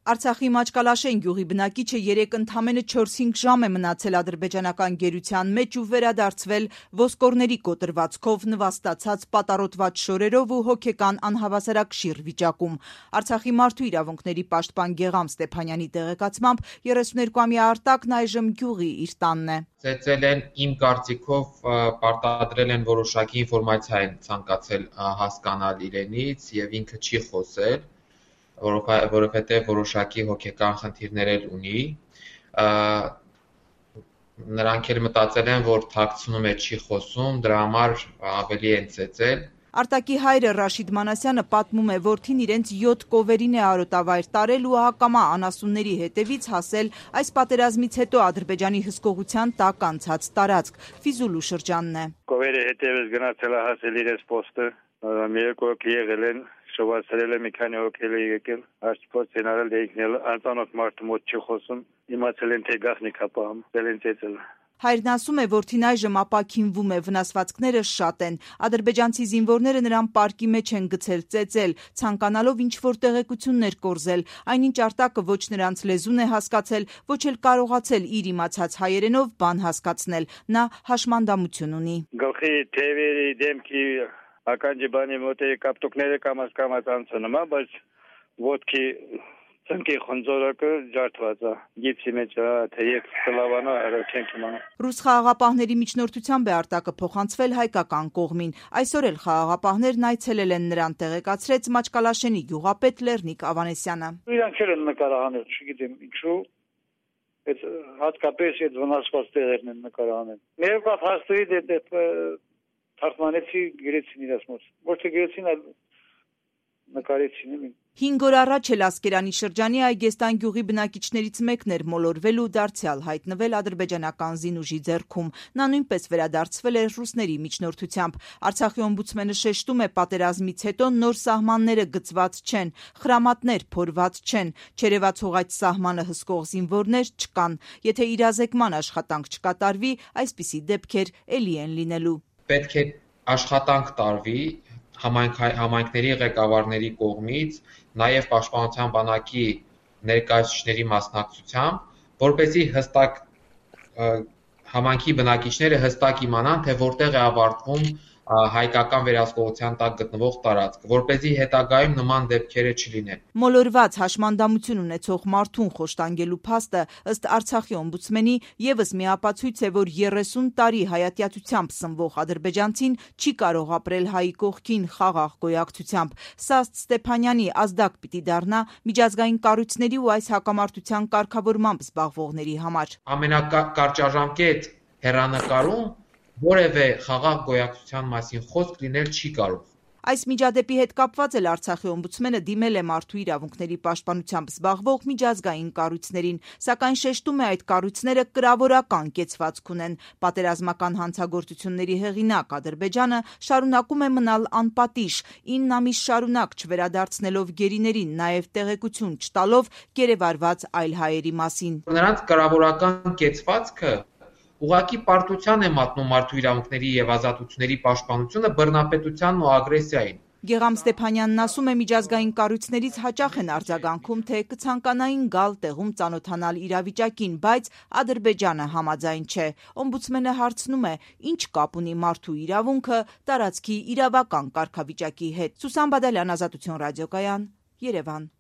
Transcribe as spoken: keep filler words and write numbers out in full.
Արցախի Մաչկալաշեն գյուղի բնակիչը երեկ ընդամենը չորս-հինգ ժամ է մնացել ադրբեջանական գերության մեջ ու վերադարձվել ոսկորների կոտրվածքով, նվաստացած պատառոտված շորերով ու հոգեկան անհավասարակշիռ վիճակում։ Արցախի մարդու իրավունքների պաշտպան Գեղամ Ստեփանյանի տեղեկացմամբ երեսուներկուամյա Արտակն այժմ գյուղի իր տանն է։ Ծեծել են, իմ կարծիքով պարտադրել են որոշակի ինֆորմացիա են ցանկացել հասկանալ իրենից եւ ինքը չի խոսել, որովհետև որոշակի հոգեկան խնդիրներ էլ ունի, նրանք էլ մտածել են, որ թաքցնում է, չի խոսում, դրա համար ավելի են ծեծել։ Արտակի հայրը Ռաշիդ Մանասյանը պատմում է, որդին իրենց յոթ կովերին է արոտավայր տարել ու հակամա անասունների հետևից հասել այս պատերազմից հետո Ադրբեջանի հսկողության տակ անցած տարածք, Ֆիզուլու շրջանն է։ Կովերի հետևից գնացել է հասել իրենց պոստը, մի երկու հոգի եղել են, շովածրել է, մի քանի հոգի է եկել, հաշտվոց են արել, եկնել, անծանոթ մարդու մոտ չի խոսում, իմացել են, թե գաղտնիք է պահում, դել են ծեծել։ Հայրն ասում է, որդին այժմ ապաքինվում է, վնասվածքները շատ են։ Ադրբեջանցի զինվորները նրան պարկի մեջ են գցել, ծեծել, ցանկանալով ինչ-որ տեղեկություններ կորզել, այնինչ Արտակը ոչ նրանց լեզուն է հասկացել, ոչ էլ կարողացել իր իմացած հայերենով բան հասկացնել, նա հաշմանդամություն ունի։ Գլխի, թևերի, դեմքի, ականջի բանի մոտ է կապտուկները կամաց կամաց անցնում է, բայց ոտքի Ծնկի խնձորակը ջարդված է, գիպսի մեջ է, թեև կլավանա, չենք իմանա։ Ռուս խաղաղապահների միջնորդությամբ է Արտակը փոխանցվել հայկական կողմին։ Այսօր էլ խաղաղապահներն այցելել են նրան, տեղեկացրեց Մաչկալաշենի գյուղապետ Լեռնիկ Ավանեսյանը։ Իրանք չեն նկարահանել, չգիտեմ ինչու, այդ հատկապես այդ վնասված տեղերն են նկարահանել։ Ներկա փաստերի դե թարգմանեցի գրեցին իրաց մոտ։ Ոչ թե գրեցին, այլ նկարեցին։ Հինգ օր առաջ էլ Ասկերանի շրջանի Այգեստան գյուղի բնակիչներից մեկն էր մոլորվել ու դարձյալ հայտնվել ադրբեջանական զինուժի ձեռքում։ Նա նույնպես վերադարձվել էր ռուսների միջնորդությամբ։ Արցախի օմբուդսմենը շեշտում է, պատերազմից հետո նոր սահմանները գծված չեն, խրամատներ փորված չեն, չերևացող սահմանը հսկող զինվորներ չկան։ Եթե իրազեկման աշխատանք չկատարվի, այսպիսի դեպքեր էլի են լինելու։ Պետք է աշխատանք տարվի համայնքների ղեկավարների կողմից, նաև պաշտպանության բանակի ներկայացուցիչների մասնակցությամբ, որպեսզի հստակ համայնքի բնակիչները հստակ իմանան, թե որտեղ է ավարտվում հայկական վերահսկողության տակ գտնվող տարածքը, որպեսզի հետագայում նման դեպքերը չլինեն։ Մոլորված հաշմանդամություն ունեցող մարդուն խոշտանգելու փաստը ըստ Արցախի օմբուդսմենի եւս մի ապացույց է, որ երեսուն տարի հայատյացությամբ սնվող ադրբեջանցին չի կարող ապրել հայի կողքին խաղաղ գոյակցությամբ։ Սա Ստեփանյանի ազդակ պիտի դառնա միջազգային կառույցների ու այս հակամարտության կարգավորմամբ զբաղվողների համար։ Ամենակարճաժամկետ հեռանկարում որևէ խաղաղ գոյակցության մասին խոսք լինել չի կարող։ Այս միջադեպի հետ կապված էլ Արցախի օմբուդսմենը դիմել է մարդու իրավունքների պաշտպանությամբ զբաղվող միջազգային կառույցներին, սակայն շեշտում է, այդ կառույցները կրավորական կեցվածք ունեն։ Պատերազմական հանցագործությունների հեղինակ Ադրբեջանը շարունակում է մնալ անպատիժ, ինն ամիս շարունակ չվերադարձնելով գերիներին, նաև տեղեկություն չտալով գերեվարված այլ հայերի մասին։ Նրանց կրավորական կեցվածքը ուղղակի պարտության է մատնում մարդու իրավունքների եւ ազատությունների պաշտպանությունը բռնապետությանն ու ագրեսիային։ Գեղամ Ստեփանյանն ասում է, միջազգային կառույցներից հաճախ են արձագանքում, թե կցանկանային գալ տեղում ծանոթանալ իրավիճակին, բայց Ադրբեջանը համաձայն չէ։ Օմբուդսմենը հարցնում է, ինչ կապ ունի մարդու իրավունքը տարածքի իրավական կարգավիճակի հետ։ Սուսան Բադալյան, Ազատություն ռադիոկայան, Երևան։